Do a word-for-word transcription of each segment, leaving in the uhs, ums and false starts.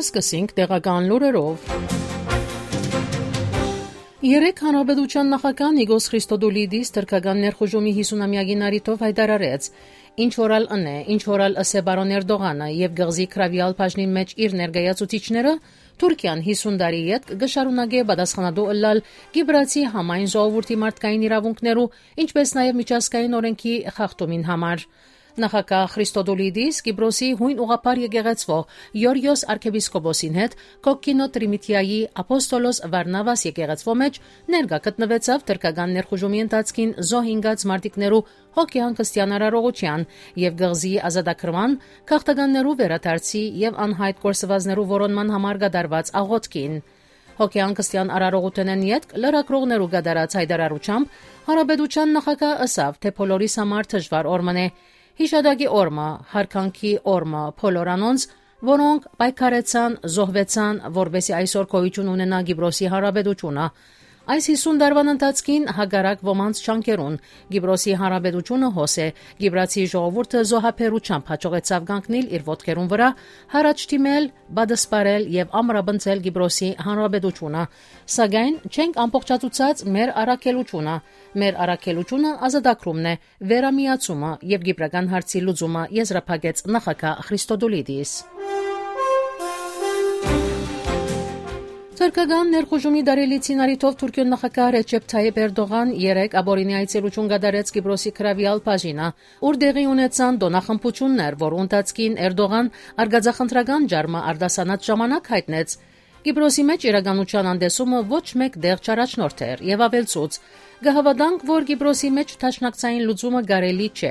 Սկսենք տեղական լուրերով։ Երեկ Հանրապետության նախագահ Նիկոս Խրիստոդուլիդիս թրքական ներխուժումի հիսունամեակին առիթով յայտարարեց. «Ինչ որ ալ ընէ, ինչ որ ալ ըսէ պարոն Էրտողանը եւ կղզի գրաւեալ բաժնին մէջ իր ներկայացուցիչները, Թուրքիան հիսուն տարի ետք կը շարունակէ պատասխանատու ըլլալ Կիպրացի համայն ժողովուրդի մարդկային իրաւունքներու, ինչպէս նաեւ միջազգային օրենքի խախտումին համար»։ Նախագահ Խրիստոդուլիդիս Կիպրոսի յոյն ուղղափառ եկեղեցւոյ Գեորգիոս արքեպիսկոպոսին հետ Կոկկինո Տրիմիթիայի Ափոստոլոս Վարնավաս եկեղեցւոյ մէջ ներկայ գտնուեցաւ թրքական ներխուժումի ընթացքին զոհ ինկած մարտիկներու հոգեհանգստեան արարողութեան եւ կղզի ազատագրման, գաղթականներու վերադարձի եւ անյայտ կորսուածներու որոնման համար կատարուած աղօթքին։ Հոգեհանգստեան արարողութենէն ետք լրագրողներու կատարած յայտարարութեամբ Հանրապետության նախագահ ըսաւ, թէ բոլորիս համար դժուար օր մըն է։ Յիշատակի օր մը, յարգանքի օր մը բոլոր անոնց, որոնք պայքարեցան, զոհուեցան, որպէսզի այսօր գոյություն ունենայ Կիպրոսի Հանրապետությունը։ Այս հիսուն տարուան ընթացքին, հակառակ ոմանց ջանքերուն, Կիպրոսի Հանրապետությունը հոս է, Կիպրացի ժողովուրդը զոհաբերութեամբ յաջողեցաւ կանգնիլ իր ոտքերուն վրայ, յառաջ դիմել, պատսպարել եւ ամրապնդել Կիպրոսի Հանրապետությունը։ Սակայն չենք ամբողջացուցած մեր առաքելությունը։ Մեր առաքելությունը ազատագրումն է, վերամիացումը եւ կիպրական հարցի լուծումը, եզրափակեց նախագահ Խրիստոդուլիդիս։ Թրքական ներխուժումի տարելիցին առիթով Թուրքիոյ նախագահ Ռեչեփ Թայիփ Էրտողան երեկ ապօրինի այցելութիւն կատարեց Կիպրոսի գրաւեալ բաժինը, ուր տեղի ունեցան տօնախմբութիւններ, որ ընթացքին Էրտողան արկածախնդրական ջարդը արտասանած ժամանակ յայտնեց. «Կիպրոսի մէջ իրականութեան անտեսումը ոչ մէկ տեղ չառաջնորդեր» եւ աւելցուց. «Կը հաւատանք, որ Կիպրոսի մէջ դաշնակցային լուծումը կարելի չէ։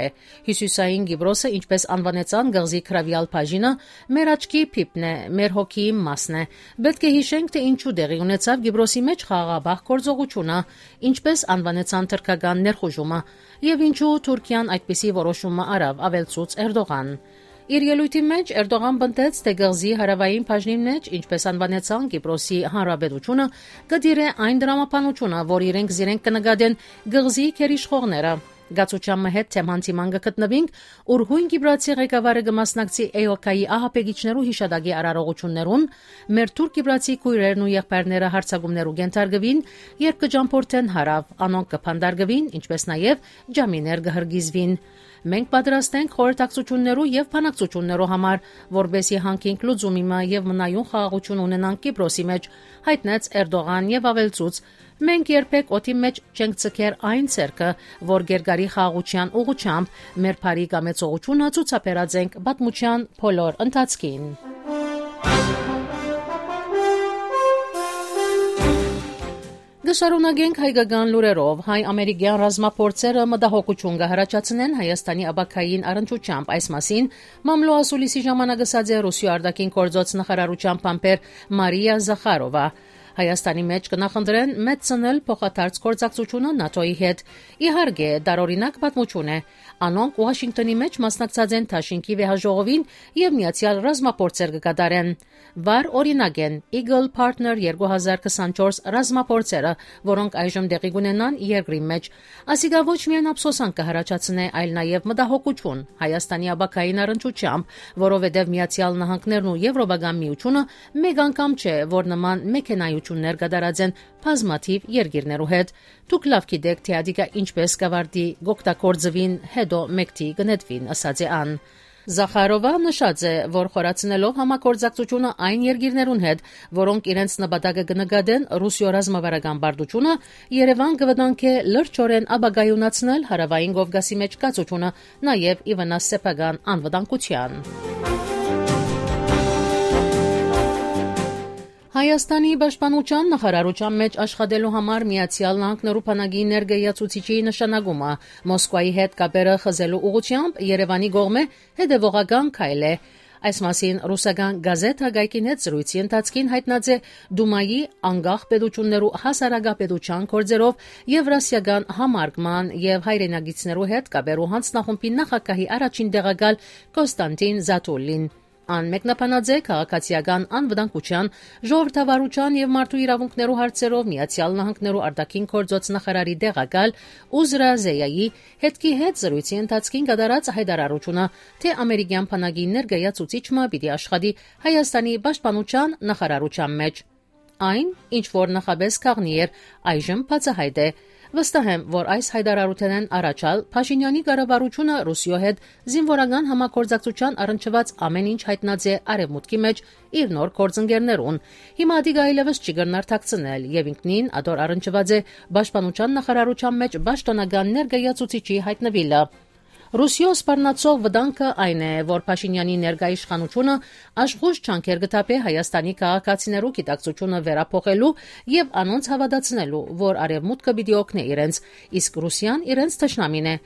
Հիւսիսային Կիպրոսը, ինչպէս անուանեցան կղզի գրաւեալ բաժինը, մեր աչքի փիփն է, մեր հոգիի մասն է։ Պէտք է յիշենք, թէ ինչու տեղի ունեցաւ Կիպրոսի մէջ խաղաղապահ գործողութիւնը, ինչպէս անուանեցան թրքական ներխուժումը եւ ինչու Թուրքիան այդպիսի որոշումը առաւ», աւելցուց Էրտողան։ Իր ելոյթին մէջ Էրտողան պնդեց, թէ կղզի հարաւային բաժնին մէջ, ինչպէս անուանեցան Կիպրոսի Հանրապետությունը, կը տիրէ այն տրամաբանութիւնը, որ իրենք զիրենք կը նկատեն կղզի գերիշխողները։ «Կացութեան մը հետ թեմա հանդիման կը գտնուինք, ուր յոյն կիպրացի ղեկավարը կը մասնակցի էոքայի ահաբեկիչներու յիշատակի արարողութիւններուն, մեր թուրք-կիպրացի քոյրերն ու եղբայրները յարձակումներու կենթարկուին, երբ կը ճամբորդեն հարաւ, անոնք կը բանտարկուին, ինչպէս նաեւ ջամիներ կը հրկիզուին։ Մենք պատրաստ ենք խորհրդակցութիւններու եւ բանակցութիւններու համար, որպէսզի յանգինք լուծումի մը եւ մնայուն խաղաղութիւն ունենանք Կիպրոսի մէջ», յայտնեց Էրտողան եւ աւելցուց. «Մենք երբեք օդի մէջ չենք ձգեր այն ձեռքը, որ կերկարի խաղաղութեան ուղղութեամբ, մեր բարի կամեցողութիւնը ցուցաբերած ենք պատմութեան բոլոր ընթացքին»։ Կը շարունակենք հայկական լուրերով։ Հայ-ամերիկեան ռազմափորձերը մտահոգութիւն կը յառաջացնեն Հայաստանի ապագային առնչությամբ։ Այս մասին Մամլո ասուլիսի ժամանակ ըսած է Ռուսիոյ արտաքին գործոց նախարարութեան բանբեր Մարիա Զախարովա։ Հայաստանի մէջ կը նախընտրեն մեծցնել փոխադարձ գործակցութիւնը նատօ-ի հետ։ Իհարկե, տարօրինակ պատմութիւն է։ Անոնք Ուաշինկտոնի մէջ մասնակցած են դաշինքի վեհաժողովին եւ միացեալ ռազմափորձեր կը կատարեն։ Վառ օրինակ են Eagle Partner երկու հազար քսանչորս ռազմափորձերը, որոնք այժմ տեղի կունենան երկրի մէջ։ Ասիկա ոչ միայն ափսոսանք կը յառաջացնէ, այլ նաեւ մտահոգութիւն Հայաստանի ապագային առնչությամբ, որովհետեւ Միացեալ Նահանգներն ու Եվրոպական Միությունը մեկ անգամ չէ, որ նման մեքենայություններ կատարած են բազմաթիւ երկիրներու հետ։ Դուք լաւ գիտէք, թէ ատիկա ինչպէս կավարտի, կօգտագործուին, հետո մեկդի կը նետուին, ըսած է ան։ Զախարովա նշած է, որ խորացնելով համագործակցությունը այն երկիրներուն հետ, որոնք իրենց նպատակը կը նկատեն Ռուսիոյ ռազմավարական պարտությունը, Երեւան կը վտանգէ լրջորեն ապագայունացնել Հարաւային Կովկասի մէջ կացությունը, նաեւ ի վնաս սեփական անվտանգութեան։ Հայաստանի պաշտպանութեան նախարարութեան մէջ աշխատելու համար Միացեալ Նահանգներու բանակի ներկայացուցիչի նշանակումը Մոսկվայի հետ կապերը խզելու ուղղությամբ Երեւանի կողմէ հետեւողական քայլ է։ Այս մասին ռուսական գազեթ Հակայքին հետ զրույցի ընթացքին յայտնած է Դումայի անկախ պետություններու հասարակապետության գործերով Եվրասիական համարկման եւ հայրենակիցներու հետ կապերու հանձնախումբի նախագահի առաջին տեղակալ Կոստանտին Զաթուլին։ Ան մեկնաբանած է քաղաքացիական անվտանգութեան, ժողովրդավարութեան եւ մարդու իրաւունքներու հարցերով Միացեալ Նահանգներու արտաքին գործոց նախարարի տեղակալ Ուզրա Զեյայի հետ կի հետ զրոյցի ընթացքին կատարած հայտարարութիւնը, թէ ամերիկեան բանակի ներկայացուցիչ մը պիտի աշխատի Հայաստանի պաշտպանութեան նախարարութեան մէջ։ Այն, ինչ որ նախապէս գաղտնի էր, այժմ բացահայտ է։ Վստահ եմ, որ այս հայտարարութենէն առաջ ալ Փաշինեանի կառավարութիւնը Ռուսիոյ հետ զինուորական համագործակցութեան առնչուած ամէն ինչ յայտնած է Արեւմուտքի մէջ իր նոր գործընկերներուն։ Հիմա ատիկա այլեւս չի կրնար թաքցնել եւ ինքնին ատոր առնչուած է պաշտպանութեան նախարարութեան մէջ պաշտոնական ներկայացուցիչի յայտնուիլը։ Ռուսիոյ սպառնացող վտանգը այն է, որ Փաշինեանի ներկայ իշխանութիւնը աշխուժ ջանքեր կը թափէ Հայաստանի քաղաքացիներու գիտակցութիւնը վերափոխելու եւ անոնց հաւատացնելու, որ Արեւմուտքը պիտի օգնէ իրենց, իսկ Ռուսիան իրենց թշնամին է։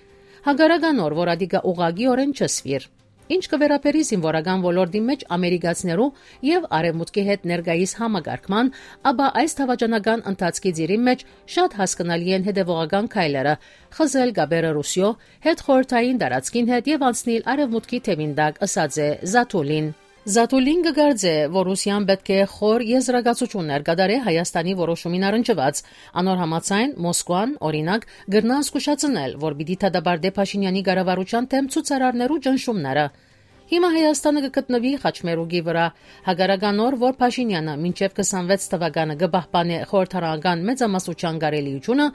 Հակառակ անոր, որ ատիկա ուղղակիօրէն չսուիր։ Ինչ կը վերաբերի զինուորական ոլորտի մէջ ամերիկացիներու եւ Արեւմուտքի հետ ներկայիս համակարգման, ապա այս դավաճանական ընթացքի ծիրին մէջ շատ հասկնալի են հետեւողական քայլերը՝ խզել կապերը Ռուսիոյ հետ, խորհրդային տարածքին հետ եւ անցնիլ Արեւմուտքի թեւին տակ, ըսած է Զաթուլին։ Զաթուլին կը կարծէ, որ Ռուսիան պէտք է խոր եզրակացութիւններ կատարէ Հայաստանի որոշումին առնչուած։ Անոր համաձայն, Մոսկուան, օրինակ, կրնայ զգուշացնել, որ պիտի դատապարտէ Փաշինեանի կառավարութեան դէմ ցուցարարներու ճնշումները։ Հիմա Հայաստանը կը գտնուի խաչմերուկի վրայ, հակառակ անոր, որ Փաշինեանը մինչեւ քսանվեց թվականը կը պահպանէ խորհրդարանական մեծամասնութեան կարելիութիւնը,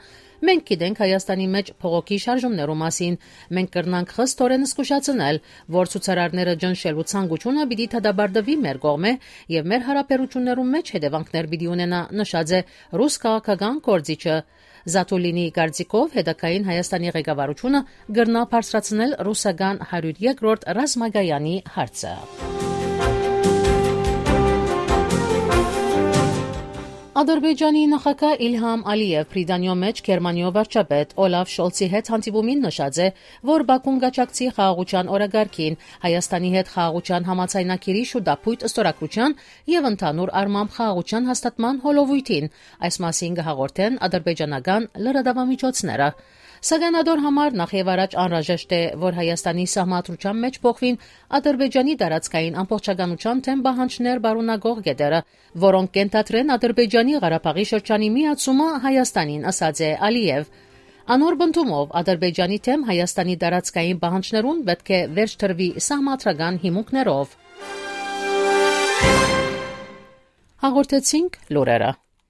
մենք գիտենք Հայաստանի մէջ փողոքի շարժումներու մասին։ Մենք կրնանք խստօրէն զգուշացնել, որ ցուցարարները ճնշելու ցանկութիւնը պիտի դատապարտուի մեր կողմէ եւ մեր յարաբերութիւններու մէջ հետեւանքներ պիտի ունենայ, նշած է ռուս քաղաքական գործիչը։ Զաթուլինի կարծիքով, հետագային Հայաստանի ղեկավարութիւնը կրնայ բարձրացնել ռուսական հարիւր երկրորդ ռազմակայանի հարցը։ Ադրբեջանի նախագահ Իլհամ Ալիեւ Բրիտանիոյ մէջ Գերմանիոյ վարչապետ Օլաֆ Շոլցի հետ հանդիպումին նշած է, որ Բաքուն կաջակցի խաղաղութեան օրակարգին, Հայաստանի հետ խաղաղութեան համաձայնագիրի շուտափոյթ ստորագրութեան եւ ընդհանուր առմամբ խաղաղութեան հաստատման հոլովոյթին։ Այս մասին կը հաղորդեն ադրբեջանական լրատաւամիջոցները։ Սակայն ատոր համար նախ եւ առաջ անհրաժեշտ է, որ Հայաստանի սահմանադրութեան մէջ փոխուին Ադրբեջանի տարածքային ամբողջականութեան դէմ պահանջներ պարունակող կետերը, որոնք կենթադրեն Ադրբեջանի Ղարաբաղի շրջանի միացումը Հայաստանին, ըսած է Ալիեւ։ Անոր պնդումով, Ադրբեջանի դէմ Հայաստանի տարածքային պահանջներուն պէտք է վերջ դրուի սահմանադրական հիմունքներով։ Հաղորդեցինք լուրերը։